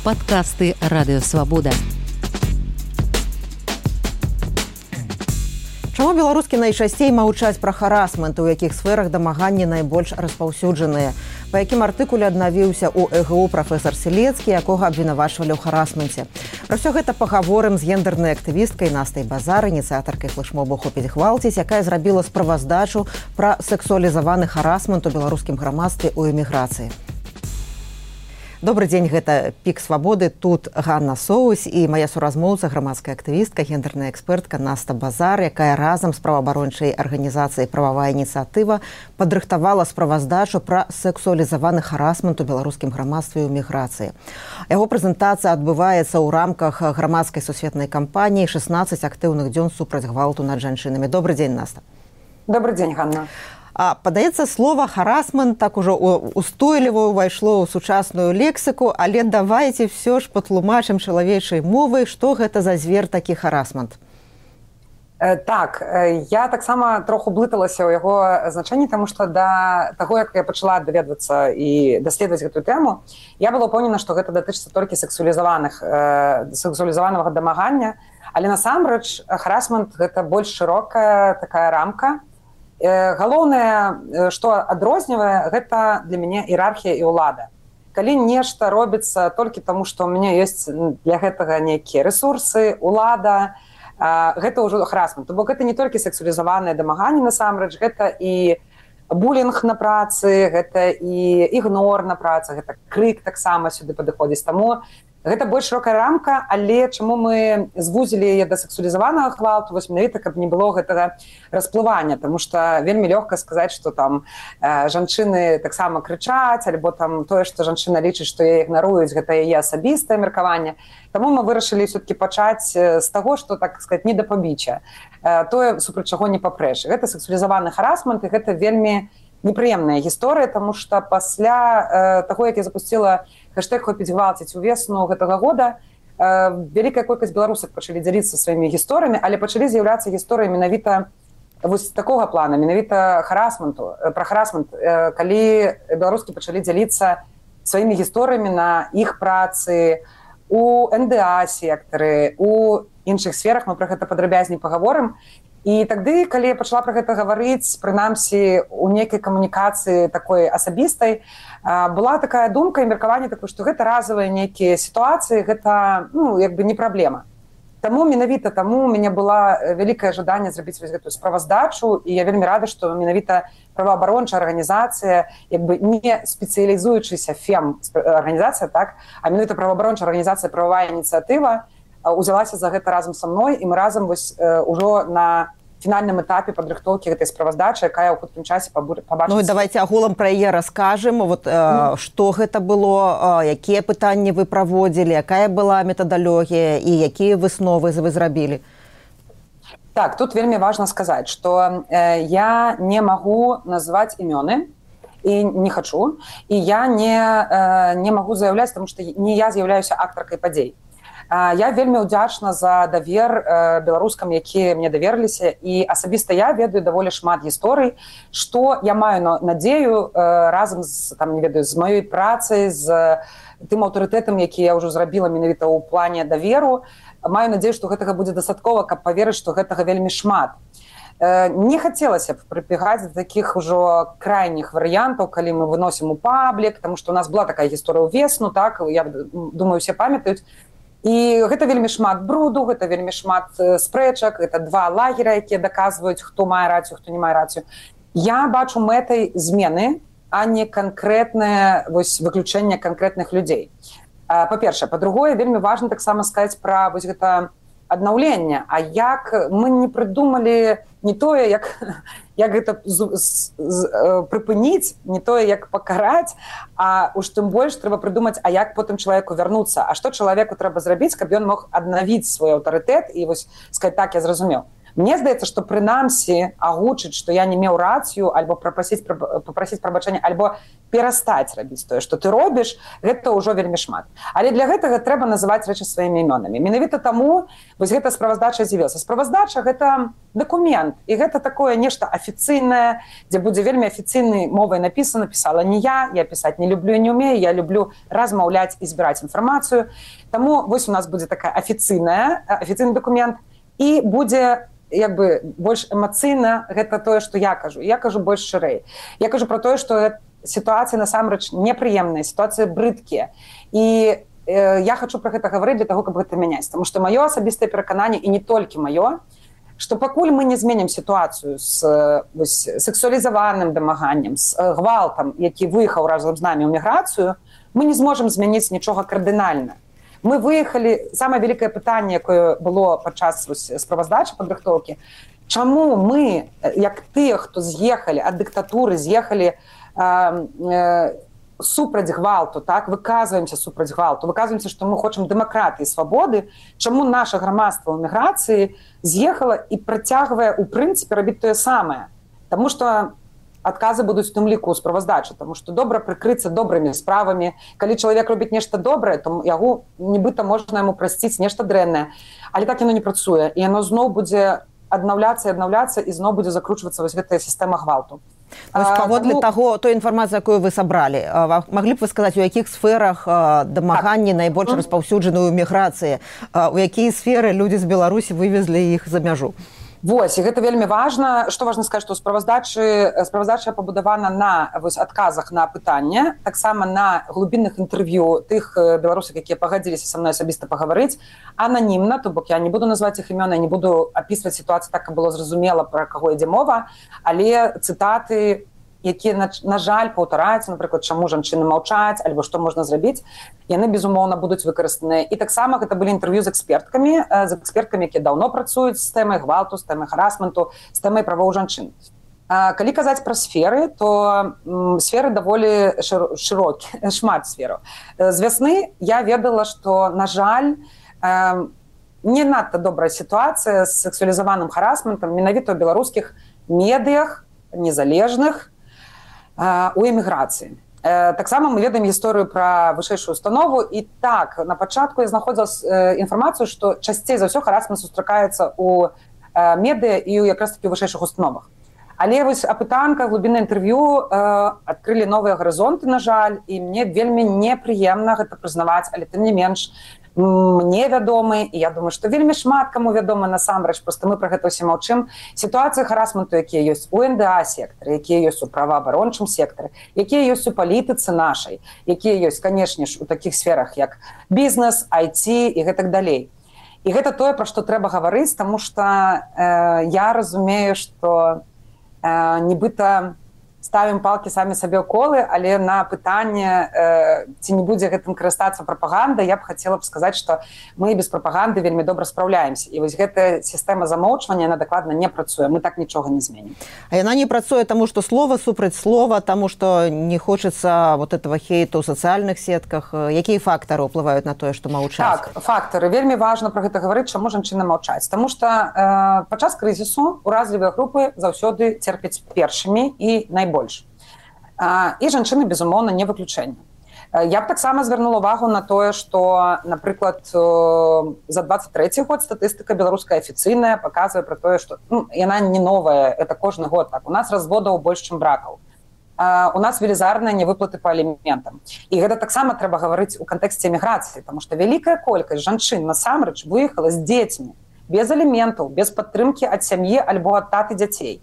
Падкасты Радыёвабода. Чаму беларускі найчасцей маўчаць пра харасмент, у якіх сферах дамаганні найбольш распаўсюджаныя? Па якім артыкуле аднавіўся ў ЭГУ прафесар Селецкі, якога абвінавачвалі ў харасменце? Пра ўсё гэта пагаворым з гендернай актывісткай Настай Базар, ініцыятаркай флэшмобу «Хопіць гвалціць», якая зрабіла справаздачу пра сексуалізаваны харасмент у беларускім грамадстве ў эміграцыі. Добры дзень, гэта «Пік свабоды», тут Ганна Соусь і мая суразмоўца, грамадская актывістка, гендерная экспертка Наста Базар, якая разам з праваабарончай арганізацыяй «Прававая ініцыятыва» падрыхтавала справаздачу пра сексуалізаваны харасмент у беларускім грамадстве ў эміграцыі. Яго прэзентацыя адбываецца ў рамках грамадскай сусветнай кампаніі «16 актыўных дзён супраць гвалту над жанчынамі». Добры дзень, Наста. Добрый дзень, Ганна. Падаецца, слова «харасмент» так ужо устойліва ўвайшло ў сучасную лексіку, але давайце ўсё ж патлумачым чалавечай мовай, што гэта за звер такі харасмент. Так, я таксама троху блыталася ў яго значэнні, таму што да таго, як я пачала даведвацца і даследаваць гэтую тэму, я была ўпэўнена, што гэта датычыцца толькі сексуалізаванага дамагання, але насамрэч харасмент гэта больш шырокая такая рамка. Галоўнае, што адрознівае, гэта для мяне іерархія і ўлада. Калі нешта робіцца толькі таму, што ў мяне ёсць для гэтага нейкія рэсурсы, ўлада, гэта ўжо харасмент. Бо гэта не толькі сексуалізаваныя дамаганні насамрэч, гэта і булінг на працы, гэта і ігнор на працы, гэта крык таксама сюды падыходзіць. Таму гэта больш шырокая рамка, але чаму мы звузілі яе да сексуалізаванага гвалту, вось менавіта, каб не было гэтага расплывання, таму што вельмі лёгка сказаць, што там жанчыны таксама крычаць, альбо там тое, што жанчына лічыць, што яе ігнаруюць, гэта яе асабістае меркаванне. Таму мы вырашылі ўсё-такі пачаць з таго, што, так сказаць, не да пабіччя, тое, супраць чаго не папрэш. Гэта сексуалізаваны харасмент, і гэта вельмі непрыемная гісторыя, таму што пасля таго, як я запусціла хэштэг «Хопіць гвалціць» увесну гэтага года, вялікая колькасць беларусак пачалі дзяліцца сваімі гісторыямі, але пачалі з'яўляцца гісторыі менавіта вось такога плана, менавіта харасменту, пра харасмент, калі беларускі пачалі дзяліцца сваімі гісторыямі на іх працы, у НДА-сектары, у іншых сферах, мы пра гэта падрабязней пагаворым. І тады, калі я пачала пра гэта гаварыць, прынамсі, у нейкай камунікацыі такой асабістай, была такая думка і меркаванне такое, што гэта разавыя нейкія сітуацыі, гэта, як бы не праблема. Таму менавіта таму у мяне была вялікае жаданне зрабіць вось гэтую справаздачу, і я вельмі рада, што менавіта праваабарончая арганізацыя, як бы не спецыялізуючыся фем-арганізацыя, так, а менавіта праваабарончая арганізацыя «Прававая ініцыятыва» узялася за гэта разам са мной, і мы разам вось ужо на фінальным этапе падрыхтоўкі гэтай справаздачы, якая ў хуткім часе пабачыць. Ну і давайце агулам пра яе раскажам, вот што гэта было, якія пытанні вы праводзілі, якая была метадалогія і якія высновы вы зрабілі. Так, тут вельмі важна сказаць, што я не магу назваць імёны, і не хачу, і я не магу заяўляць, таму што не я з'яўляюся актаркай падзей. Я вельмі ўдзячна за давер беларускам, якія мне даверліся, і асабіста я ведаю даволі шмат гісторый, што я маю надзею разам з, там, не ведаю, з маёй працай, з тым аўтарытэтам, які я ўжо зрабіла менавіта ў плане даверу, маю надзею, што гэтага будзе дастаткова, каб паверыць, што гэтага вельмі шмат. Не хацелася б прыбегаць да такіх ужо крайніх варыянтаў, калі мы выносім у паблік, таму што у нас была такая гісторыя ўвесну, так, я думаю, усе памятаюць. І гэта вельмі шмат бруду, гэта вельмі шмат спрэчак, гэта два лагера, якія даказваюць, хто мае рацыю, хто не мае рацыю. Я бачу мэтай змены, а не канкрэтнае выключэнне канкрэтных людзей. Па-першае. Па-другое, вельмі важна таксама сказаць пра вось гэта аднаўленне. А як мы не прыдумалі не тое, як гэта прыпыніць, не тое, як пакараць, а уж тым больш трэба прыдумаць, а як потым чалавеку вярнуцца, а што чалавеку трэба зрабіць, каб ён мог аднавіць свой аўтарытэт і вось сказаць, так, я зразумеў. Мне здаецца, што прынамсі агучыць, што я не меў рацыю, альбо папрасіць прабачэння, альбо перастаць рабіць тое, што ты робіш, гэта ўжо вельмі шмат. Але для гэтага трэба называць рэчы сваімі імёнамі. Менавіта таму вось гэта справаздача з'явілася. Справаздача гэта дакумент, і гэта такое нешта афіцыйнае, дзе будзе вельмі афіцыйнай мовай напісана, пісала не я пісаць не люблю і не ўмею, я люблю размаўляць і збіраць інфармацыю. Таму вось у нас будзе такая афіцыйны дакумент, і будзе як бы больш эмацыйна гэта тое, што я кажу. Я кажу больш шырэй. Я кажу пра тое, што сітуацыі насамрэч непрыемныя, сітуацыі брыдкія. І я хочу пра гэта гаварыць для таго, каб гэта мяняць. Таму што маё асабістае перакананне, і не толькі маё, што пакуль мы не зменім сітуацыю з сексуалізаваным дамаганнем, з гвалтам, які выехаў разам з намі ў міграцыю, мы не зможам змяніць нічога кардынальна. Мы выехалі, самае вялікае пытанне, якое было падчас справаздачы падрыхтоўкі, чаму мы, як тыя, хто з'ехалі ад дыктатуры, з'ехалі супраць гвалту, так, выказваемся супраць гвалту, выказваемся, што мы хочам дэмакратыі і свабоды, чаму наша грамадства ў міграцыі з'ехала і працягвае, у прынцыпе, рабіць тое самае. Таму што адказы будуць у тым ліку ў справаздачы, таму што добра прыкрыцца добрымі справамі. Калі чалавек робіць нешта добрае, то яго нібыта можна яму прасціць нешта дрэннае. Але так яно не працуе, і яно зноў будзе аднаўляцца і зноў будзе закручвацца вось гэтая сістэма гвалту. Паводле таго, той інфармацыі, якую вы сабралі, маглі б вы сказаць, у якіх сферах дамаганні найбольш распаўсюджаны ў міграцыі, у якія сферы людзі з Беларусі вывезлі іх за мяжу? Вось, і гэта вельмі важна. Што важна сказаць, што справаздача пабудавана на адказах на пытанне, таксама на глубінных інтэрв'ю тых беларусаў, якія пагадзіліся са мной асабіста пагаварыць, ананімна, то бок я не буду называць іх імёны, не буду апісваць сітуацыю так, каб было зразумела, пра каго ідзе мова, але цытаты, якія, на жаль, паўтараюцца, напрыклад, чаму жанчыны маўчаць, альбо што можна зрабіць, яны, безумоўна, будуць выкарыстаныя. І таксама гэта былі інтэрв'ю з эксперткамі, якія даўно працуюць з тэмай гвалту, з тэмай харасменту, з тэмай правоў жанчын. Калі казаць пра сферы, то сферы даволі шырокі, шмат сфераў. З вясны я ведала, што, на жаль, не надта добрая сітуацыя з сексуалізаваным харасментам менавіта ў беларускіх медыях незалежных, у эміграцыі. Таксама мы ведаем гісторыю пра вышэйшую установу, і так, на пачатку я знаходзіла інфармацыю, што часцей за ўсё харасмент сустракаецца ў медыа і якраз такі ў вышэйшых установах. Але вось апытанка, глубіннае інтэрв'ю адкрылі новыя гарызонты, на жаль, і мне вельмі непрыемна гэта прызнаваць, але тым не менш, мне вядомы, і я думаю, што вельмі шмат каму вядома насамрэч, проста мы пра гэта ўсе маўчым. Сітуацыі харасменту, якія ёсць у НДА-сектары, якія ёсць у праваабарончым сектары, якія ёсць у палітыцы нашай, якія ёсць, канешне ж, у такіх сферах, як бізнес, IT і гэтак далей. І гэта тое, пра што трэба гаварыць, таму што я разумею, што нібыта ставім палкі самі сабе ў колы, але на пытанне, ці не будзе гэтым карыстацца прапаганда, я б хацела б сказаць, што мы без прапаганды вельмі добра спраўляемся. І вось гэтая сістэма замоўчвання, яна дакладна не працуе, мы так нічога не зменім. А яна не працуе таму, што слова супраць слова, таму, што не хочацца вот этого хейту ў сацыяльных сетках. Якія фактары ўплываюць на тое, што маўчаць? Так, фактары. Вельмі важна пра гэта гаварыць, чаму жанчыны маўчаць. Таму што падчас крызісу уразлівыя групы заўсёды церпяць першымі і найбольш. І жанчыны, безумоўна, не выключэнне. Я б таксама звярнула ўвагу на тое, што, напрыклад, за 23 год статыстыка беларуская афіцыйная паказвае пра тое, што яна не новая, это кожны год так. У нас разводаў больш, чым бракаў. У нас велізарныя невыплаты па аліментам. І гэта таксама трэба гаварыць у кантэксце эміграцыі, таму што вялікая колькасць жанчын насамрэч выехала з дзецьмі, без аліментаў, без падтрымкі ад сям'і альбо ад таты дзяцей.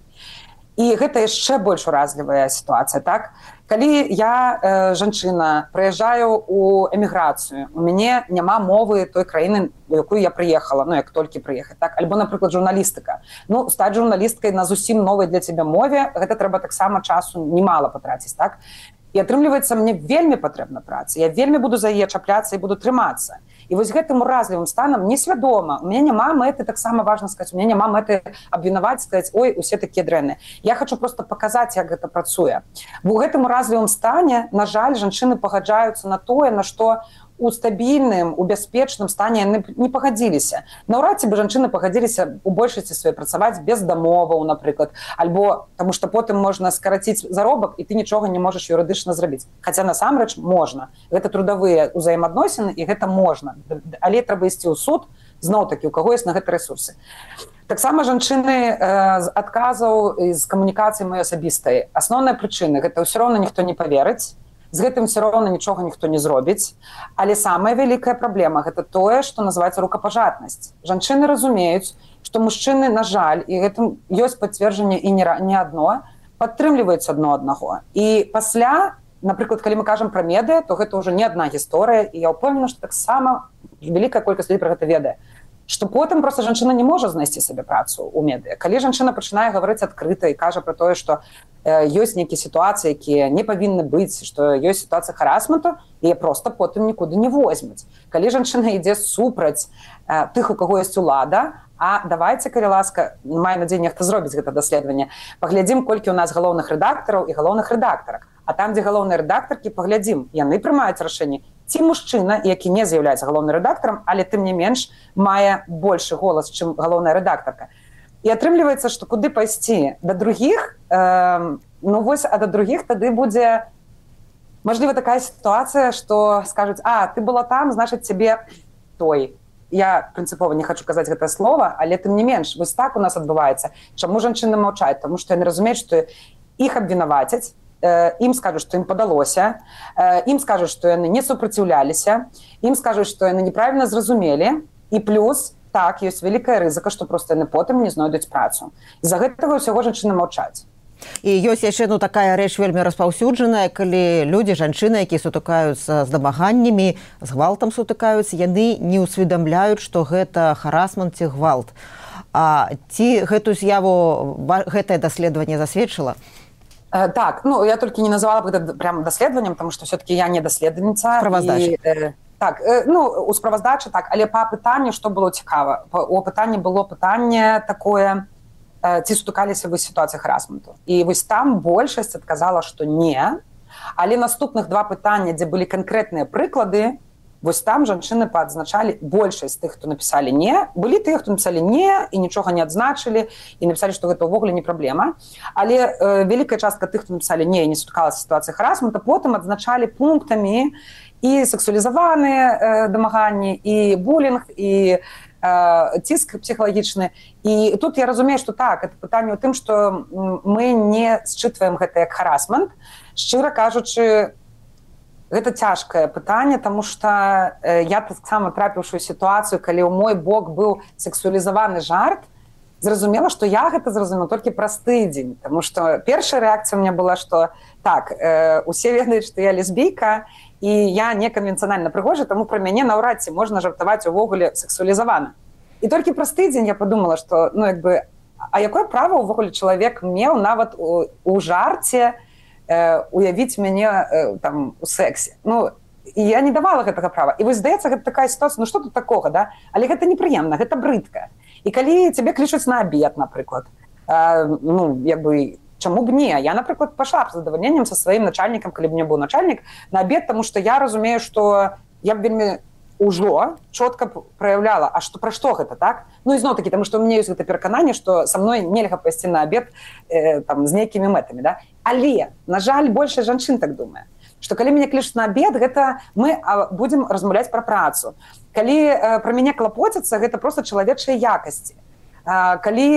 І гэта яшчэ больш уразлівая сітуацыя, так? Калі я, жанчына, прыязджаю ў эміграцыю, у мяне няма мовы той краіны, у якую я прыехала, як толькі прыехаць, так? Альбо, напрыклад, журналістыка. Стаць журналісткай на зусім новай для цябе мове, гэта трэба таксама часу немала патраціць, так? І атрымліваецца, мне вельмі патрэбна праца, я вельмі буду за яе чапляцца і буду трымацца. І вось гэтым уразлівым станам несвядома. У мяне няма мэты, таксама важна сказаць, у мяне няма мэты абвінаваць, сказаць, ой, усе такія дрэнныя. Я хочу просто паказаць, як гэта працуе. У гэтым уразлівым стане, на жаль, жанчыны пагаджаюцца на тое, на што у стабільным, у бяспечным стане яны не пагадзіліся. Наўрад ці бы жанчыны пагадзіліся у большасці сваёй працаваць без дамоваў, напрыклад, альбо таму што потым можна скараціць заробак і ты нічога не можаш юрыдычна зрабіць. Хаця насамрэч можна. Гэта трудавыя ўзаемаадносіны і гэта можна. Але трэба ісці ў суд, зноў-такі, у каго ёсць на гэта рэсурсы. Таксама жанчыны з адказаў і з камунікацыі маёй асабістай. Асноўная прычына – гэта ўсё роўна ніхто не паверыць, з гэтым ўсё роўна нічога ніхто не зробіць. Але самая вялікая праблема – гэта тое, што называецца рукапажатнасць. Жанчыны разумеюць, што мужчыны, на жаль, і гэтым ёсць пацверджанне і не адно, падтрымліваюць адно аднаго. І пасля, напрыклад, калі мы кажам пра медыа, то гэта ўжо не адна гісторыя, і я ўпэўнена, што таксама вялікая колькасць людзей пра гэта ведае. Што потым проста жанчына не можа знайсці сабе працу ў медыа. Калі жанчына пачынае гаварыць адкрыта і кажа пра тое, што ёсць нейкія сітуацыі, якія не павінны быць, што ёсць сітуацыя харасменту, яе проста потым нікуды не возьмуць. Калі жанчына ідзе супраць тых, у каго ёсць улада, а давайце, калі ласка, маю надзею, нехта зробіць гэта даследаванне, паглядзім, колькі ў нас галоўных рэдактараў і галоўных рэдактарак. А там, дзе галоўныя рэдактаркі, паглядзім, яны прымаюць рашэнне, ці мужчына, які не з'яўляецца галоўным рэдактарам, але тым не менш мае большы голас, чым галоўная рэдактарка. І атрымліваецца, што куды пайсці? Да другіх, ну вось, а да другіх тады будзе, мажліва, такая сітуацыя, што скажуць, ты была там, значыць, цябе той. Я прынцыпова не хачу казаць гэта слова, але тым не менш, вось так у нас адбываецца. Чаму жанчыны маўчаць? Таму што яны разумеюць, што іх абвінавацяць, ім скажуць, што ім падалося, ім скажуць, што яны не супраціўляліся, ім скажуць, што яны неправільна зразумелі, і плюс, так, ёсць вялікая рызыка, што проста яны потым не знойдуць працу. З-за гэтага ўсяго жанчыны маўчаць. І ёсць яшчэ такая рэч вельмі распаўсюджаная, калі людзі, жанчыны, якія сутыкаюцца з дамаганнямі, з гвалтам сутыкаюцца, яны не ўсведамляюць, што гэта харасмент ці гвалт. Ці гэтую з'яву гэтае даследаванне засведчыла? Так, ну я толькі не называла б гэта прям даследаваннем, тому што все-таки я не даследавальніца. Справаздача. Так, ну у справаздачы так, але па пытанню што было цікава? У пытанні было пытанне такое, ці сутыкаліся вы з сітуацыяй харасменту. І вось там большасць адказала, што не, але наступных два пытання, дзе былі канкрэтныя прыклады, вось там жанчыны паадзначалі, большасць тых, хто напісалі не, былі тыя, хто напісалі не і нічога не адзначылі і напісалі, што гэта ўвогуле не праблема. Але вялікая частка тых, хто напісалі не і не сутыкалася з сітуацыяй харасмента, потым адзначалі пунктамі і сексуалізаваныя дамаганні, і булінг, і ціск псіхалагічны. І тут я разумею, што так, это пытанне ў тым, што мы не счытваем гэта як харасмент. Шчыра кажучы, гэта цяжкае пытанне, таму што я таксама трапіўшы ў сітуацыю, калі ў мой бок быў сексуалізаваны жарт, зразумела, што я гэта зразумела толькі праз тыдзень, таму што першая рэакцыя ў мяне была, што так, усе ведаюць, што я лесбійка, і я неканвенцыянальна прыгожа, таму пра мяне наўрад ці можна жартаваць увогуле сексуалізавана. І толькі праз тыдзень я падумала, што, ну, як бы, а якое права ўвогуле чалавек меў нават у жарце уявіць мяне там у сексе. Ну, і я не давала гэтага права. І вось, здаецца, гэта такая сітуацыя, ну што тут такога, да? Але гэта непрыемна, гэта брыдка. І калі цябе клічуць на абед, напрыклад, ну, як бы, чаму б не? Я, напрыклад, пайшла б з задавальненнем са сваім начальнікам, калі б мне быў начальнік, на абед, таму што я разумею, што я б вельмі ўжо чётка праяўляла, а што пра што гэта, так? Ну і зноў-такі, таму што ў мяне ёсць гэта перакананне, што са мной нельга пайсці на абед там з нейкімі мэтамі, да? Але, на жаль, большасць жанчын так думае, што калі мяне клічуць на абед, гэта мы будзем размаўляць пра працу. Калі пра мяне клапоцяцца, гэта проста чалавечыя якасці. Калі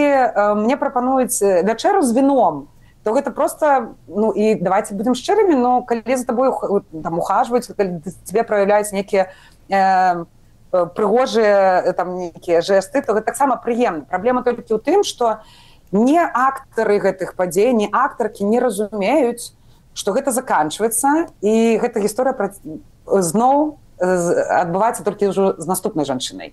мне прапануюць вячэру з віном, то гэта проста, ну і давайте будзем шчырымі, но калі за табой там ухажваюць, калі тебе праяўляюць нейкія прыгожыя там нейкія жэсты, то гэта таксама прыемна. Праблема толькі ў тым, што не актары гэтых падзей, не актаркі не разумеюць, што гэта заканчваецца, і гэта гісторыя зноў адбываецца толькі ўжо з наступнай жанчынай.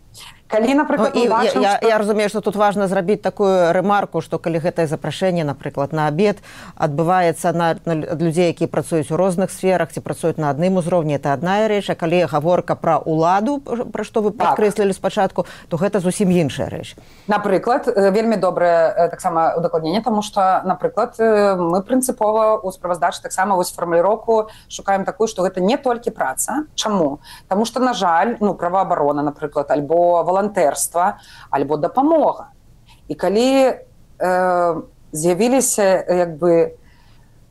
Калі, напрыклад, я разумею, што тут важна зрабіць такую рэмарку, што калі гэтае запрашэнне, напрыклад, на абед адбываецца ад людзей, якія працуюць у розных сферах ці працуюць на адным узроўні, это адна рэч, а калі гаворка пра ўладу, пра што вы падкрэслілі спачатку, то гэта зусім іншая рэч. Напрыклад, вельмі добрае таксама удакладненне, таму што, напрыклад, мы прынцыпова ў справаздачы таксама вось фармуліроўку шукаем такую, што гэта не толькі праца. Чаму? Таму што, на жаль, праваабарона, напрыклад, альбо волонтерства, альбо дапамога. І калі з'явіліся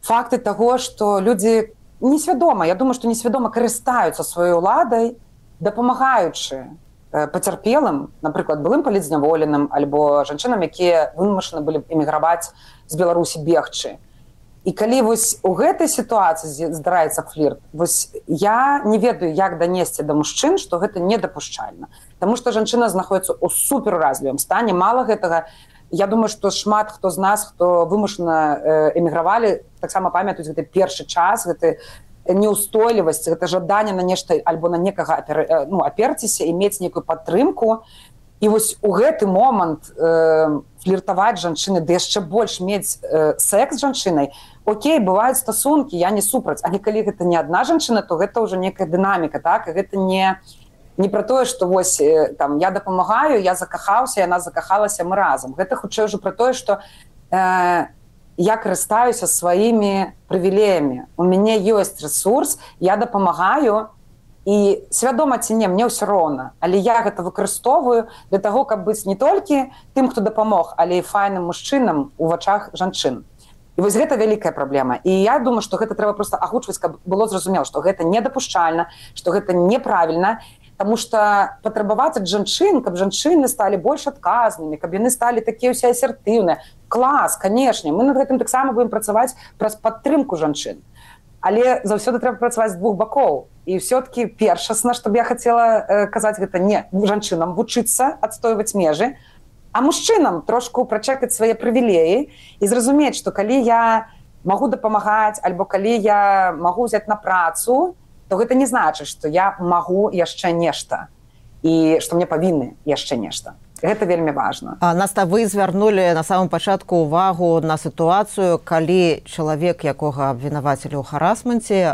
факты таго, што людзі несвядома, я думаю, што несвядома карыстаюцца сваёй уладай, дапамагаючы пацярпелым, напрыклад, былым палітзняволеным, альбо жанчынам, якія вымушаны былі эміграваць з Беларусі бегчы. І калі вось у гэтай сітуацыі здараецца флірт, вось я не ведаю, як данесці да мужчын, што гэта недапушчальна. Таму што жанчына знаходіцца ў суперуразлівым стане. Мала гэтага, я думаю, што шмат хто з нас, хто вымушана эмігравалі, таксама памятаюць гэты першы час, гэты неўстойлівасць, гэта жаданне на нешта альбо на некага аперціся і мець нейкую падтрымку. І вось у гэты момант фліртаваць жанчыны, ды яшчэ больш мець секс з жанчынай, окей, бываюць стасункі, я не супраць, але калі гэта не адна жанчына, то гэта ўжо некая дынаміка, так? І гэта не пра тое, што вось там я дапамагаю, я закахаўся, яна закахалася, мы разам. Гэта хутчэй ўжо пра тое, што я карыстаюся сваімі прывілеямі. У мяне ёсць рэсурс, я дапамагаю, і свядома ці не, мне ўсё роўна. Але я гэта выкарыстоўваю для таго, каб быць не толькі тым, хто дапамог, але і файным мужчынам у вачах жанчын. І вось гэта вялікая праблема. І я думаю, што гэта трэба проста агучваць, каб было зразумела, што гэта недапушчальна, што гэта неправільна, таму што патрабаваць ад жанчын, каб жанчыны сталі больш адказнымі, каб яны сталі такія ўсе асертыўныя. Клас, канешне, мы над гэтым таксама будзем працаваць праз падтрымку жанчын. Але заўсёды трэба працаваць з двух бакоў. І ўсё-такі першасна, што б я хацела казаць, гэта не жанчынам вучыцца адстойваць межы, а мужчынам трошку прачэкаць свае прывілеі і зразумець, што калі я магу дапамагаць, альбо калі я магу ўзяць на працу, то гэта не значыць, што я магу яшчэ нешта і што мне павінны яшчэ нешта. Гэта вельмі важна. Наста, вы звярнулі на самым пачатку ўвагу на сітуацыю, калі чалавек, якога абвінавацілі ў харасменце,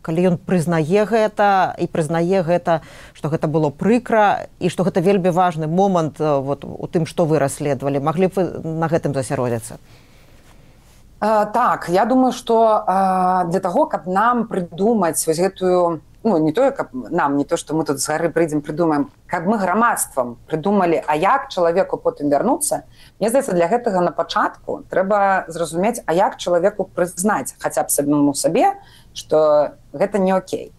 калі ён прызнае гэта і прызнае гэта, што гэта было прыкра і што гэта вельмі важны момант у тым, што вы расследавалі. Маглі б вы на гэтым засяродзіцца? Так, я думаю, што для таго, каб нам прыдумаць вось гэтую, не тое, каб нам, не то, што мы тут з гары прыйдзем, прыдумаем, каб мы грамадствам прыдумалі, а як чалавеку потым вярнуцца, мне здаецца, для гэтага на пачатку трэба зразумець, а як чалавеку прызнаць хаця б самому сабе, што гэта не окей.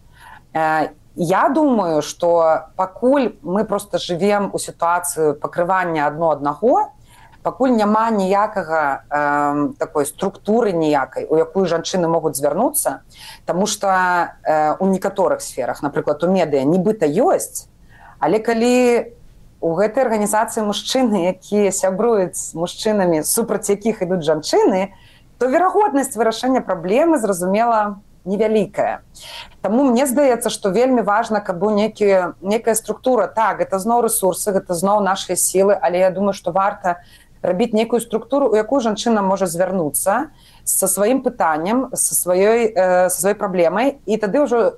Я думаю, што пакуль мы проста жывем у сітуацыі пакрывання адно аднаго, пакуль няма ніякага такой структуры ніякай, у якую жанчыны могуць звярнуцца, таму што у некаторых сферах, напрыклад, у медыа нібыта ёсць, але калі у гэтай арганізацыі мужчыны, якія сябруюць з мужчынамі, супраць якіх ідуць жанчыны, то верагоднасць вырашэння праблемы, зразумела, невялікая. Таму мне здаецца, што вельмі важна, каб быў некая структура. Так, гэта зноў рэсурсы, гэта зноў нашыя сілы, але я думаю, што варта рабіць некую структуру, у якую жанчына можа звярнуцца са сваім пытаннем, са сваёй праблемай, і тады ўжо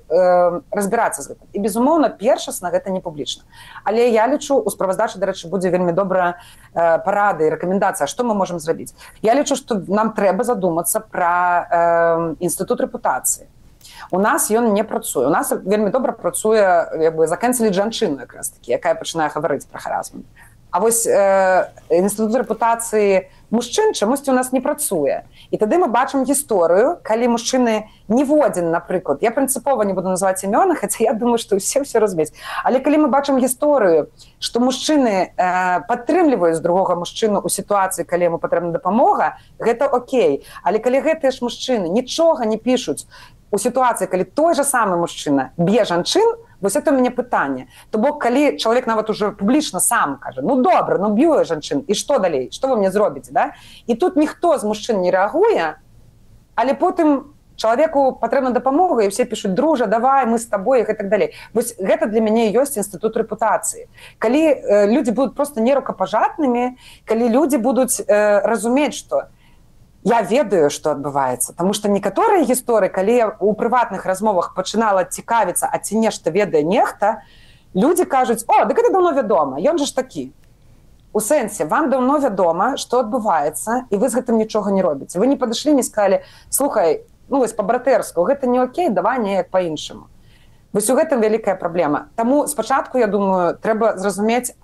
разбірацца з гэтым. І, безумоўна, першасна гэта не публічна. Але я лічу, у справаздачы, дарэчы, будзе вельмі добрая парада і рэкамендацыя, што мы можам зрабіць. Я лічу, што нам трэба задумацца пра інстытут рэпутацыі. У нас ён не працуе. У нас вельмі добра працуе закэнселіць жанчыну, якраз такі, якая пачынае гаварыць пра харасмент. А вось інстытут рэпутацыі мужчын чамусьці у нас не працуе. І тады мы бачым гісторыю, калі мужчыны ніводзін, напрыклад, я прынцыпова не буду называць імёны, хаця я думаю, што ўсе разумеюць. Але калі мы бачым гісторыю, што мужчыны падтрымліваюць другога мужчыну ў сітуацыі, калі яму патрэбна дапамога, гэта окей. Але калі гэтыя ж мужчыны нічога не пішуць у сітуацыі, калі той жа самы мужчына б'е жанчын, вось это у мяне пытанне. То бок, калі чалавек нават уже публічна сам кажа, добра, б'ю я жанчын, і што далей? Што вы мне зробіце, да? І тут ніхто з мужчын не рэагуе, але потым Чалавеку патрэбна дапамога, і ўсе пішуць: дружа, давай, мы з табой, і так далей. Вось гэта для мяне ёсць інстытут рэпутацыі. Калі людзі будуць проста нерукапажатнымі, калі людзі будуць разумець, што я ведаю, што адбываецца. Таму што некаторыя гісторыі, калі я ў прыватных размовах пачынала цікавіцца, а ці нешта ведае нехта, людзі кажуць: о, дык гэта даўно вядома, ён жа ж такі. У сэнсе, вам даўно вядома, што адбываецца, і вы з гэтым нічога не робіце. Вы не падышлі, не сказалі: слухай, ну вось па-братэрску, гэта не окей, давай неяк па-іншаму. Вось у гэтым вялікая праблема. Таму спачатку, я думаю, трэба зразумець,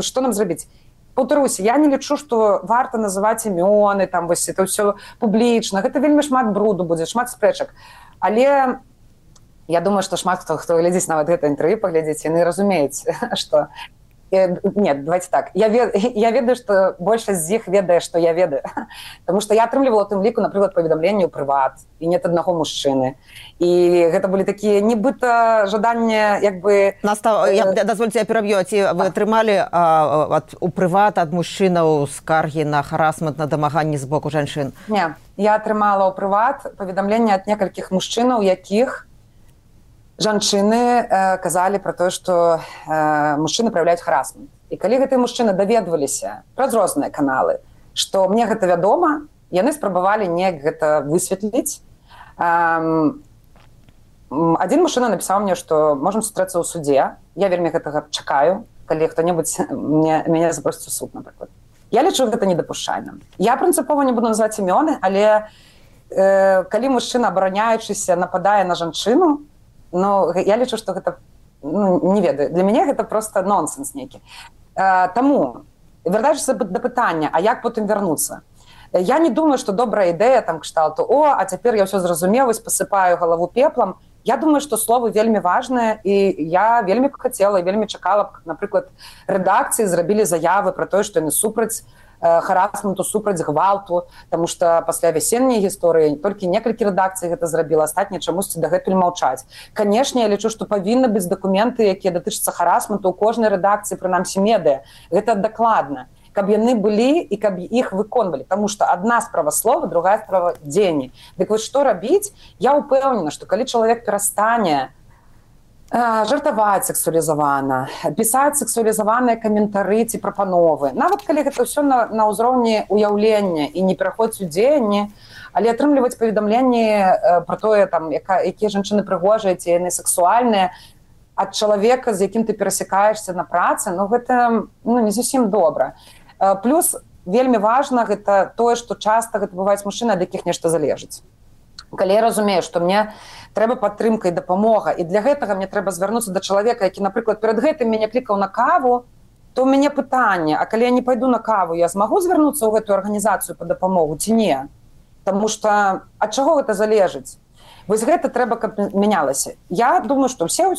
што нам зрабіць. Паўтаруся, я не лічу, што варта называць імёны, там вось это ўсё публічна. Гэта вельмі шмат бруду будзе, шмат спрэчак. Але я думаю, што шмат хто глядзіць нават гэта інтэрв'ю паглядзець, яны разумеюць, што... Нет, давайте так. Я ведаю, што большасць з іх ведае, што я ведаю. Таму што я атрымлівала тым ліку, напрыклад, паведамленні ў прыват, і нет аднаго мужчыны. І гэта былі такія нібыта жаданні, як бы... Дазвольце, я пераб'ю. Ці вы атрымалі у прыват ад мужчынаў скаргі на харасмент, на дамаганні з боку жанчын? Не, я атрымала ў прыват паведамленні ад некалькіх мужчынаў, якіх жанчыны казалі пра тое, што мужчыны праяўляюць харасмент. І калі гэтыя мужчыны даведваліся праз розныя каналы, што мне гэта вядома, яны спрабавалі неяк гэта высветліць. Адзін мужчына напісаў мне, што можам сустрэцца ў судзе. Я вельмі гэтага чакаю, калі хто-небудзь мяне запросіць у суд, напрыклад. Я лічу гэта недапушчальным. Я прынцыпова не буду называць імёны, але калі мужчына, абараняючыся, нападае на жанчыну, ну, я лічу, што гэта, не ведаю, для мяне гэта проста нонсенс нейкі. Таму, вяртаючыся да пытання, а як потым вярнуцца? Я не думаю, што добрая ідэя там кшталту: о, а цяпер я ўсё зразумеў, пасыпаю галаву пеплам. Я думаю, што словы вельмі важныя, і я вельмі хацела і вельмі чакала, напрыклад, рэдакцыі зрабілі заявы пра тое, што яны супраць харасменту, супраць гвалту, таму што пасля вясенняй гісторыі толькі некалькі рэдакцый гэта зрабіла, астатнія чамусьці дагэтуль маўчаць. Канешне, я лічу, што павінны быць дакументы, якія датычацца харасменту ў кожнай рэдакцыі, прынамсі медыа. Гэта дакладна. Каб яны былі і каб іх выконвалі. Таму што адна справа слова, другая справа дзеянні. Дык вось што рабіць? Я ўпэўнена, што калі чалавек перастане жартаваць сексуалізавана, пісаць сексуалізаваныя каментары ці прапановы. Нават калі гэта ўсё на ўзроўні ўяўлення і не пераходзіць у дзеянні, але атрымліваць паведамленні пра тое, якія жанчыны прыгожыя, ці яны сексуальныя, ад чалавека, з якім ты перасякаешся на працы, ну гэта не зусім добра. Плюс вельмі важна гэта тое, што часта гэта бываюць мужчыны, ад якіх нешта залежыць. Калі я разумею, што мне трэба падтрымка і дапамога, і для гэтага мне трэба звярнуцца да чалавека, які, напрыклад, перад гэтым мяне клікаў на каву, то ў мяне пытанне: а калі я не пайду на каву, я змагу звярнуцца ў гэтую арганізацыю па дапамогу ці не? Таму што ад чаго гэта залежыць? Вось гэта трэба, каб мянялася. Я думаю, што ўсё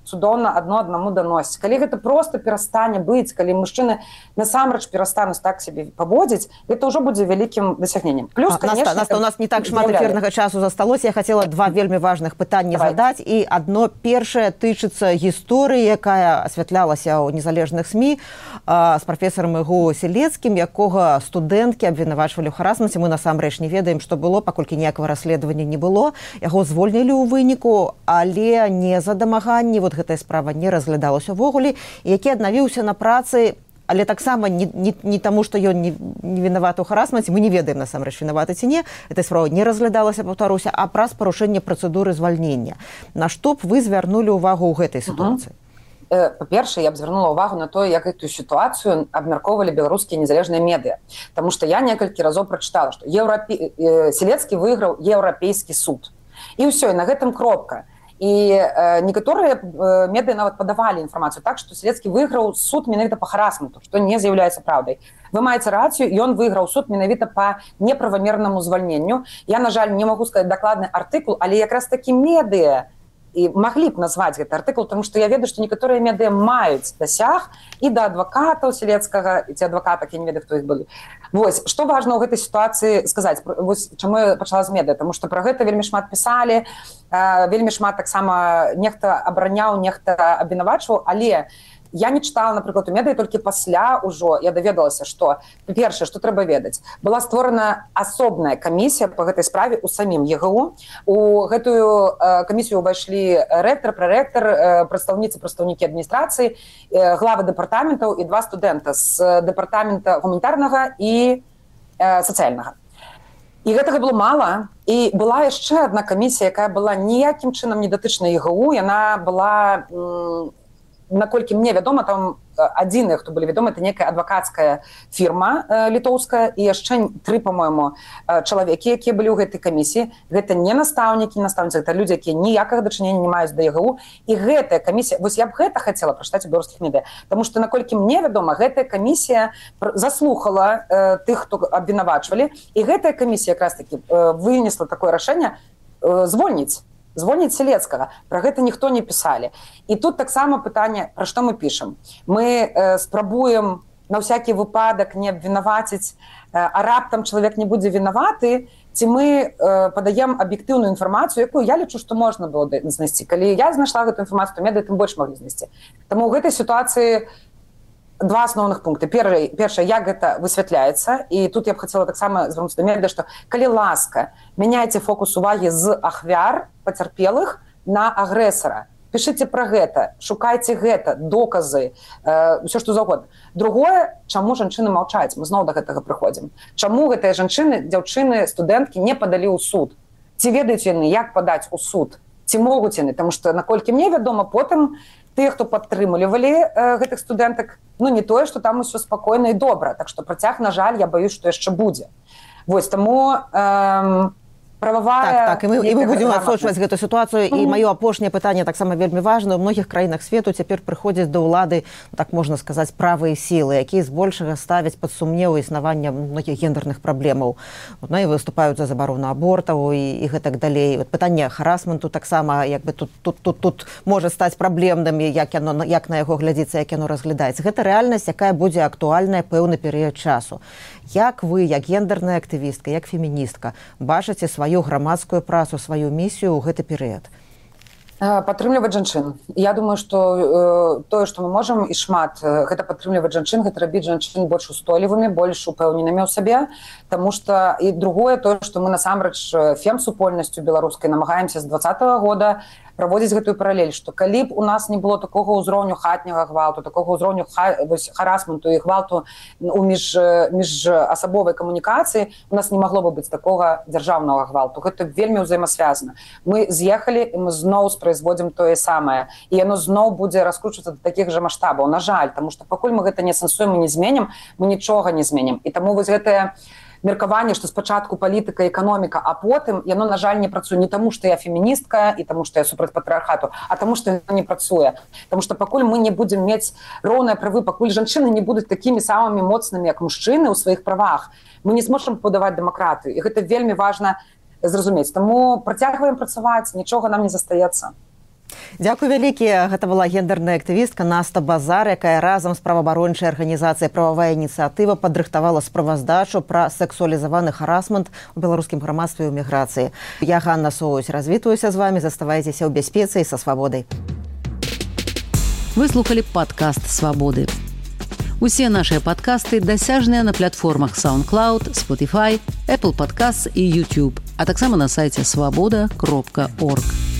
цудоўна адно аднаму даносіць. Калі гэта проста перастане быць, калі мужчыны насамрэч перастануць так сябе паводзіць, гэта ўжо будзе вялікім дасягненнем. Плюс, конечно, у нас не так шмат эфірнага часу засталося. Я хацела два вельмі важных пытанні задаць. І адно першае тычыцца гісторыі, якая асвятлялася ў незалежных СМІ з прафесарам ІГУ Селецкім, якога студэнткі абвінавачвалі ў харасменце. Мы насамрэч не ведаем, што было, паколькі ніякага расследавання не было. Яго звольнілі ў выніку, але не за дамаганні. Вот гэтая справа не разглядалася ўвогуле. Які аднавіўся на працы, але таксама не таму, што ён не вінаваты ў харасменце, мы не ведаем насамрэч, вінаваты ці не. Эта справа не разглядалася, паўтаруся, а праз парушэнне працэдуры звальнення. На што б вы звярнулі ўвагу ў гэтай сітуацыі? Па-першае, я б звярнула ўвагу на тое, як гэтую сітуацыю абмяркоўвалі беларускія незалежныя медыа. Таму што я некалькі разоў прачытала, што Селецкі выйграў еўрапейскі суд. І ўсё, і на гэтым кропка. І некаторыя медыа нават падавалі інфармацыю так, што Селецкі выйграў суд менавіта па харасменту, што не з'яўляецца праўдай. Вы маеце рацыю, ён выйграў суд менавіта па неправамернаму звальненню. Я, на жаль, не магу сказаць дакладны артыкул, але якраз такі медыа і маглі б назваць гэты артыкул, тому што я ведаю, што некаторыя медыа маюць дасяг і да адвакатаў Селецкага, і ці адвакатак, я не ведаю, хто іх былі. Вось, што важна ў гэтай сітуацыі сказаць? Вось чаму я пачала з медыа? Таму што пра гэта вельмі шмат пісалі, вельмі шмат таксама нехта абараняў, нехта абвінавачваў, але я не чытала, напрыклад, у медыі, толькі пасля ўжо я даведалася, што першае, што трэба ведаць, была створана асобная камісія па гэтай справе ў самім ЕГУ. У гэтую камісію ўвайшлі рэктар, прарэктар, прадстаўнікі адміністрацыі, главы дэпартаментаў і 2 студэнта з дэпартамента гуманітарнага і сацыяльнага. І гэтага было мала. І была яшчэ адна камісія, якая была ніякім чынам не датычна ЕГУ. Яна была, наколькі мне вядома, там адзіныя, хто былі вядомы, это некая адвакацкая фірма літоўская і яшчэ 3, па-мойму, чалавекі, якія былі ў гэтай камісіі. Гэта не настаўнікі, гэта людзі, якія ніякага дачынення не маюць да ЕГУ. І гэтая камісія, вось я б гэта хацела прачытаць у беларускіх медыа, таму што, наколькі мне вядома, гэтая камісія заслухала тых, хто абвінавачвалі, і гэтая камісія якраз-такі вынесла такое рашэнне звольніць Селецкага. Пра гэта ніхто не пісалі. І тут таксама пытанне, пра што мы пішам. Мы спрабуем на ўсякі выпадак не абвінаваціць, а раптам чалавек не будзе вінаваты, ці мы падаем аб'ектыўную інфармацыю, якую я лічу, што можна было знайсці. Калі я знайшла гэту інфармацыю, то медыа тым больш маглі знайсці. Таму ў гэтай сітуацыі 2 асноўных пункты. Першае, як гэта высвятляецца, і тут я б хацела таксама звярнуцца да медыа, што калі ласка, мяняйце фокус увагі з ахвяр пацярпелых на агрэсара. Пішыце пра гэта, шукайце гэта, доказы, ўсё што заўгодна. Другое, чаму жанчыны маўчаць? Мы зноў да гэтага прыходзім. Чаму гэтыя жанчыны, дзяўчыны, студэнткі не падалі ў суд? Ці ведаюць яны, як падаць у суд? Ці могуць яны? Таму што, наколькі мне вядома, потым тыя, хто падтрымлівалі гэтых студэнтак, не тое, што там усё спакойна і добра. Так што працяг, на жаль, я баюсь, што яшчэ будзе. Вось, таму прававая... Так, і мы будзем адсочваць гэту сітуацыю. І маё апошняе пытанне таксама вельмі важнае. У многіх краінах свету цяпер прыходзяць да ўлады, так можна сказаць, правыя сілы, якія збольшага ставяць пад сумнеў існавання многіх гендерных праблемаў. І выступаюць за забарону абортаў і гэтак далей. Пытанне харасменту таксама тут можа стаць праблемным, як на яго глядзіцца, як яно разглядаецца. Гэта рэальнасць, якая будзе актуальная пэўны перыяд часу. Як вы, як гендерная актывістка, як феміністка, бачыце сваю грамадскую працу, сваю місію ў гэты перыяд? Падтрымліваць жанчын. Я думаю, што тое, што мы можам і шмат, гэта падтрымліваць жанчын, гэта рабіць жанчын больш устойлівымі, больш упэўненымі ў сабе, таму што і другое, тое, што мы насамрэч фем-супольнасцю беларускай намагаемся з 2020 года праводзіць гэтую паралель, што калі б у нас не было такога ўзроўню хатняга гвалту, такога ўзроўню харасменту і гвалту у міжасабовай камунікацыі, у нас не магло бы быць такога дзяржаўнага гвалту. Гэта вельмі ўзаемасвязана. Мы з'ехалі, і мы зноў спрайзводзім тое самае. І яно зноў будзе раскручвацца да такіх жа маштабаў. На жаль, таму што пакуль мы гэта не сэнсуем і не зменім, мы нічога не зменім. І таму вось гэтае меркаванне, што спачатку палітыка, эканоміка, а потым яно, на жаль, не працуе не таму, што я феміністка і таму, што я супраць патрыархату, а таму, што яно не працуе. Таму што пакуль мы не будзем мець роўныя правы, пакуль жанчыны не будуць такімі самымі моцнымі, як мужчыны ў сваіх правах, мы не зможам будаваць дэмакратыю. І гэта вельмі важна зразумець. Таму працягваем працаваць, нічога нам не застаецца. Дзякуй вялікі. Гэта была гендерная актывістка Наста Базар, якая разам з праваабарончай арганізацыяй «Прававая ініцыятыва» падрыхтавала справаздачу пра сэксуалізаваны харасмент у беларускім грамадстве і ў міграцыі. Я, Ганна Соусь, развітваюся з вамі. Заставайцеся ў бяспецы і са свабодай. Вы слухали падкаст «Свабоды». Усе нашыя падкасты дасяжныя на платформах SoundCloud, Spotify, Apple Podcasts і YouTube, а таксама на сайце свабода.орг.